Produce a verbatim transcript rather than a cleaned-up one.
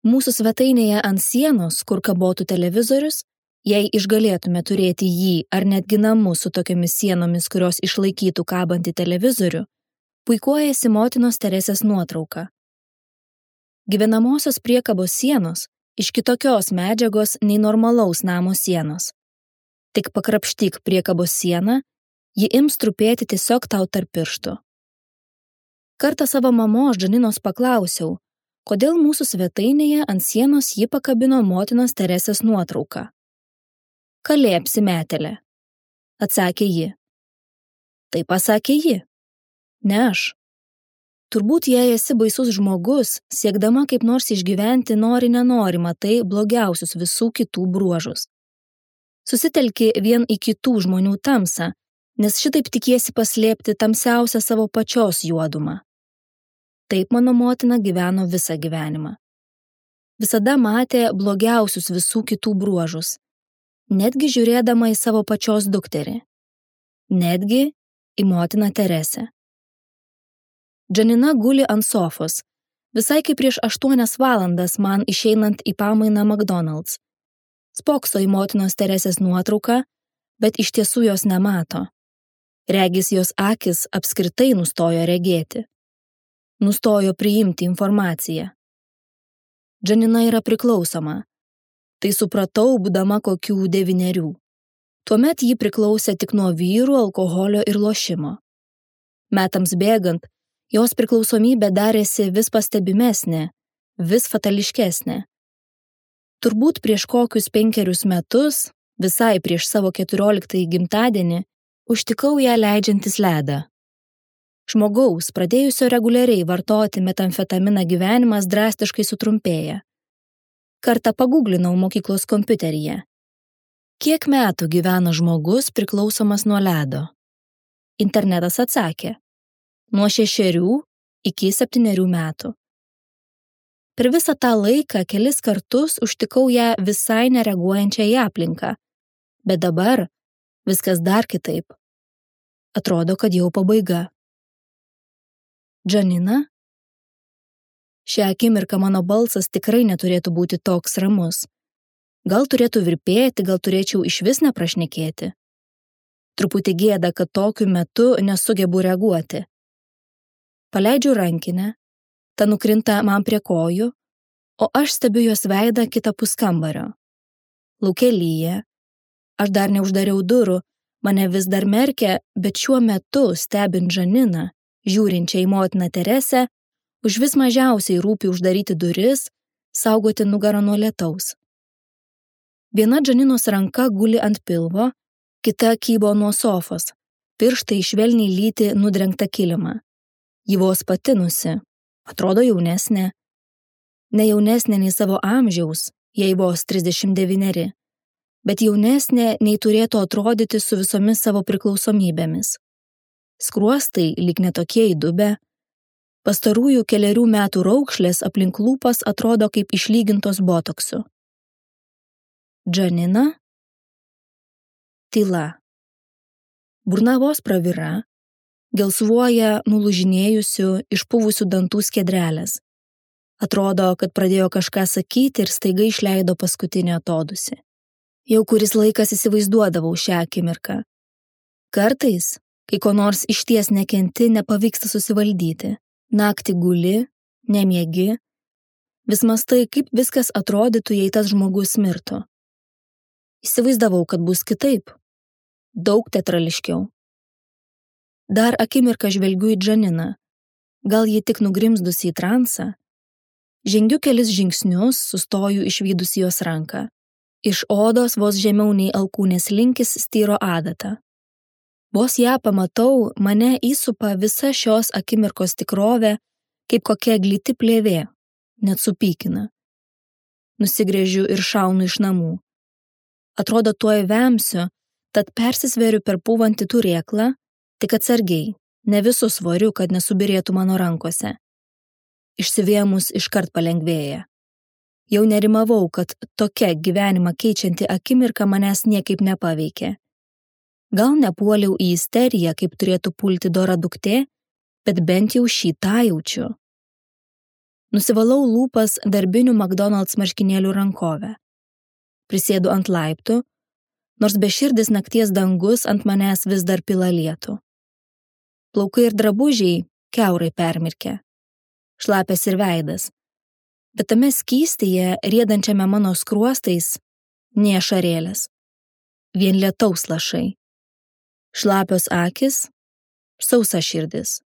Mūsų svetainėje ant sienos, kur kabotų televizorius, jei išgalėtume turėti jį ar netgi namus su tokiomis sienomis, kurios išlaikytų kabantį televizorių, puikuojasi motinos Teresės nuotrauka. Gyvenamosios priekabos sienos iš kitokios medžiagos nei normalaus namo sienos. Tik pakrapštyk priekabos sieną, ji ims trupėti tiesiog tau tarp pirštų. Kartą savo mamos Džaninos paklausiau, kodėl mūsų svetainėje ant sienos ji pakabino motinos Teresės nuotrauką. Kalė apsimetelė, atsakė ji. Tai pasakė ji, ne aš. Turbūt jei esi baisus žmogus, siekdama kaip nors išgyventi nori nenori matai blogiausius visų kitų bruožus. Susitelki vien į kitų žmonių tamsą, nes šitaip tikiesi paslėpti tamsiausią savo pačios juodumą. Taip mano motina gyveno visą gyvenimą. Visada matė blogiausius visų kitų bruožus, netgi žiūrėdama į savo pačios dukterį, netgi į motiną Teresę. Džanina guli ant sofos, visai kaip prieš aštuonias valandas man išeinant į pamainą McDonald's. Spokso į motinos Teresės nuotrauką, bet iš tiesų jos nemato. Regis jos akis apskritai nustojo regėti. Nustojo priimti informaciją. Džanina yra priklausoma. Tai supratau, būdama kokių devynerių. Tuomet ji priklausė tik nuo vyrų, alkoholio ir lošimo. Metams bėgant, jos priklausomybė darėsi vis pastebimesnė, vis fatališkesnė. Turbūt prieš kokius penkerius metus, visai prieš savo keturioliktąjį gimtadienį, užtikau ją leidžiantis ledą. Žmogaus, pradėjusio reguliariai vartoti metamfetaminą gyvenimas drastiškai sutrumpėja. Kartą paguglinau mokyklos kompiuteryje. Kiek metų gyvena žmogus priklausomas nuo ledo? Internetas atsakė. Nuo šešerių iki septynerių metų. Per visą tą laiką kelis kartus užtikau ją visai nereaguojančią į aplinką. Bet dabar viskas dar kitaip. Atrodo, kad jau pabaiga. Džanina? Šią akimirką mano balsas tikrai neturėtų būti toks ramus. Gal turėtų virpėti, gal turėčiau išvis neprašnekėti. Truputį gėda, kad tokiu metu nesugebu reaguoti. Paleidžiu rankinę, ta nukrinta man prie kojų, o aš stebiu jos veidą kitapus kambario. Lauke lyja, aš dar neuždariau durų, mane vis dar merkia, bet šiuo metu stebint Džaniną, žiūrinčią į motiną Teresę, už vis mažiausiai rūpi uždaryti duris, saugoti nugarą nuo lietaus. Viena Džaninos ranka guli ant pilvo, kita kybo nuo sofos, pirštai švelniai lyti nudrengtą kilimą. Ji vos patinusi, atrodo jaunesnė. Ne jaunesnė nei savo amžiaus, jei vos trisdešimt devyneri, bet jaunesnė nei turėtų atrodyti su visomis savo priklausomybėmis. Skruostai lyg netokie įdubę, pastarųjų kelerių metų raukšlės aplink lūpas atrodo kaip išlygintos botoksu. Džanina? Tyla. Burna vos pravira, gelsvuoja nulūžinėjusių, išpuvusių dantų skiedrelės. Atrodo, kad pradėjo kažką sakyti ir staiga išleido paskutinį atodūsį. Jau kuris laikas įsivaizduodavau šią akimirką. Kartais, kai ko nors išties nekenti, nepavyksta susivaldyti. Naktį guli, nemiegi, vis mąstai, kaip viskas atrodytų, jei tas žmogus mirtų. Įsivaizdavau, kad bus kitaip. Daug teatrališkiau. Dar akimirką žvelgiu į Džaniną. Gal ji tik nugrimzdusi į transą? Žengiu kelis žingsnius, sustoju išvydusi jos ranką. Iš odos vos žemiau nei alkūnės linkis styro adata. Vos ją pamatau, mane įsupa visa šios akimirkos tikrovė, kaip kokia gliti plėvė, net supykina. Nusigręžiu ir šaunu iš namų. Atrodo, tuoj vemsiu, tad persisveriu per pūvantį turėklą, tik atsargiai, ne visu svoriu, kad nesubirėtų mano rankose. Išsivėmus iškart palengvėja. Jau nerimavau, kad tokia gyvenimą keičianti akimirka manęs niekaip nepaveikė. Gal nepuoliau į isteriją, kaip turėtų pulti dora duktė, bet bent jau šį tą jaučiu. Nusivalau lūpas darbinių McDonald's marškinėlių rankovę. Prisėdu ant laiptų, nors beširdis nakties dangus ant manęs vis dar pila lietų. Plaukai ir drabužiai kiaurai permirkę. Šlapias ir veidas. Bet tame skystyje, riedančiame mano skruostais, nė ašarėlės. Vien lietaus lašai. Šlapios akys, sausa širdis.